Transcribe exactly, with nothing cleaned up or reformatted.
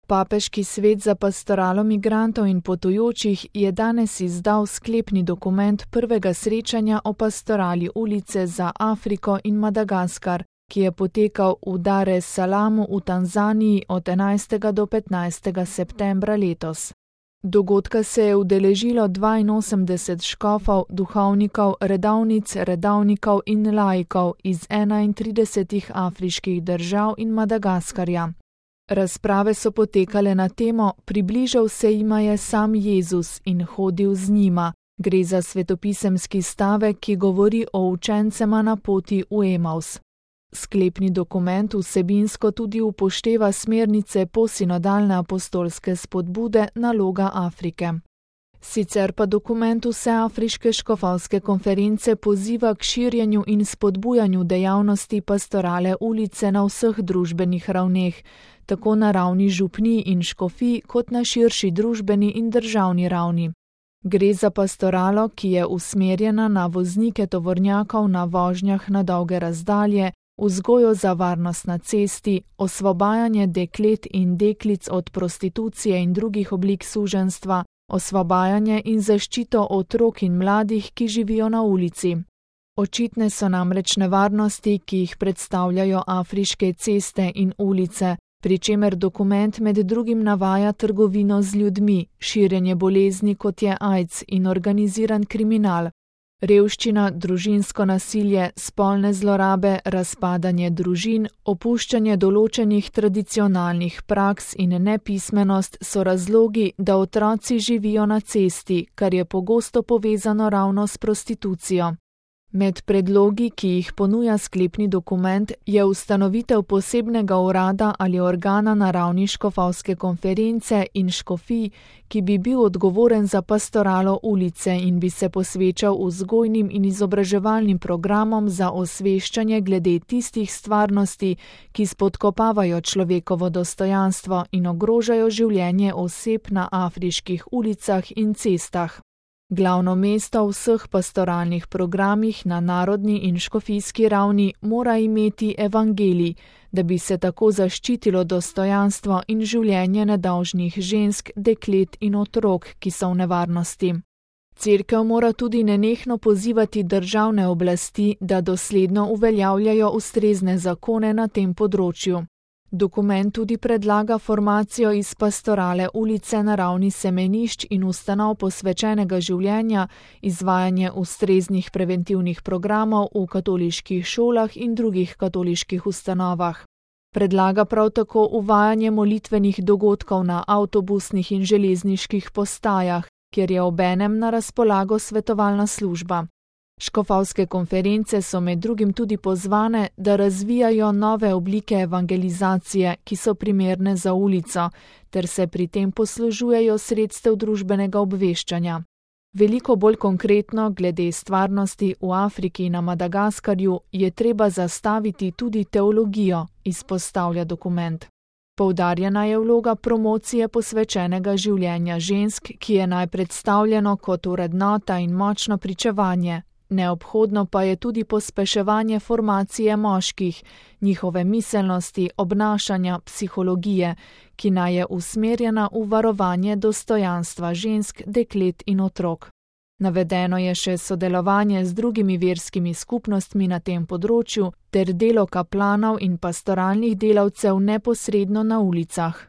Papeški svet za pastoralo migrantov in potujočih je danes izdal sklepni dokument prvega srečanja o pastorali ulice za Afriko in Madagaskar, ki je potekal v Dar es Salamu v Tanzaniji od enajstega do petnajstega septembra letos. Dogodka se je udeležilo dvainosemdeset škofov, duhovnikov, redovnic, redovnikov in laikov iz enaintridesetih afriških držav in Madagaskarja. Razprave so potekale na temo Približal se jima je sam Jezus in hodil z njima. Gre za svetopisemski stavek, ki govori o učencema na poti v Emaus. Sklepni dokument vsebinsko tudi upošteva smernice posinodalne apostolske spodbude Naloga Afrike. Sicer pa dokument Vseafriške škofovske konference poziva k širjenju in spodbujanju dejavnosti pastorale ulice na vseh družbenih ravneh, tako na ravni župnij in škofij kot na širši družbeni in državni ravni. Gre za pastoralo, ki je usmerjena na voznike tovornjakov na vožnjah na dolge razdalje, vzgojo za varnost na cesti, osvobajanje deklet in deklic od prostitucije in drugih oblik suženjstva, osvobajanje in zaščito otrok in mladih, ki živijo na ulici. Očitne so namreč nevarnosti, ki jih predstavljajo afriške ceste in ulice, pri čemer dokument med drugim navaja trgovino z ljudmi, širjenje bolezni kot je AIDS in organiziran kriminal, revščina, družinsko nasilje, spolne zlorabe, razpadanje družin, opuščanje določenih tradicionalnih praks in nepismenost so razlogi, da otroci živijo na cesti, kar je pogosto povezano ravno s prostitucijo. Med predlogi, ki jih ponuja sklepni dokument, je ustanovitev posebnega urada ali organa na ravni škofovske konference in škofij, ki bi bil odgovoren za pastoralo ulice in bi se posvečal vzgojnim in izobraževalnim programom za osveščanje glede tistih stvarnosti, ki spodkopavajo človekovo dostojanstvo in ogrožajo življenje oseb na afriških ulicah in cestah. Glavno mesto v vseh pastoralnih programih na narodni in škofijski ravni mora imeti evangelij, da bi se tako zaščitilo dostojanstvo in življenje nedolžnih žensk, deklet in otrok, ki so v nevarnosti. Cerkev mora tudi nenehno pozivati državne oblasti, da dosledno uveljavljajo ustrezne zakone na tem področju. Dokument tudi predlaga formacijo iz pastorale ulice na ravni semenišč in ustanov posvečenega življenja, izvajanje ustreznih preventivnih programov v katoliških šolah in drugih katoliških ustanovah. Predlaga prav tako uvajanje molitvenih dogodkov na avtobusnih in železniških postajah, kjer je obenem na razpolago svetovalna služba. Škofovske konference so med drugim tudi pozvane, da razvijajo nove oblike evangelizacije, ki so primerne za ulico, ter se pri tem poslužujejo sredstev družbenega obveščanja. Veliko bolj konkretno, glede stvarnosti v Afriki in na Madagaskarju, je treba zastaviti tudi teologijo, izpostavlja dokument. Poudarjena je vloga promocije posvečenega življenja žensk, ki je naj predstavljeno kot vrednota in močno pričevanje. Neobhodno pa je tudi pospeševanje formacije moških, njihove miselnosti, obnašanja, psihologije, ki naj je usmerjena v varovanje dostojanstva žensk, deklet in otrok. Navedeno je še sodelovanje z drugimi verskimi skupnostmi na tem področju ter delo kaplanov in pastoralnih delavcev neposredno na ulicah.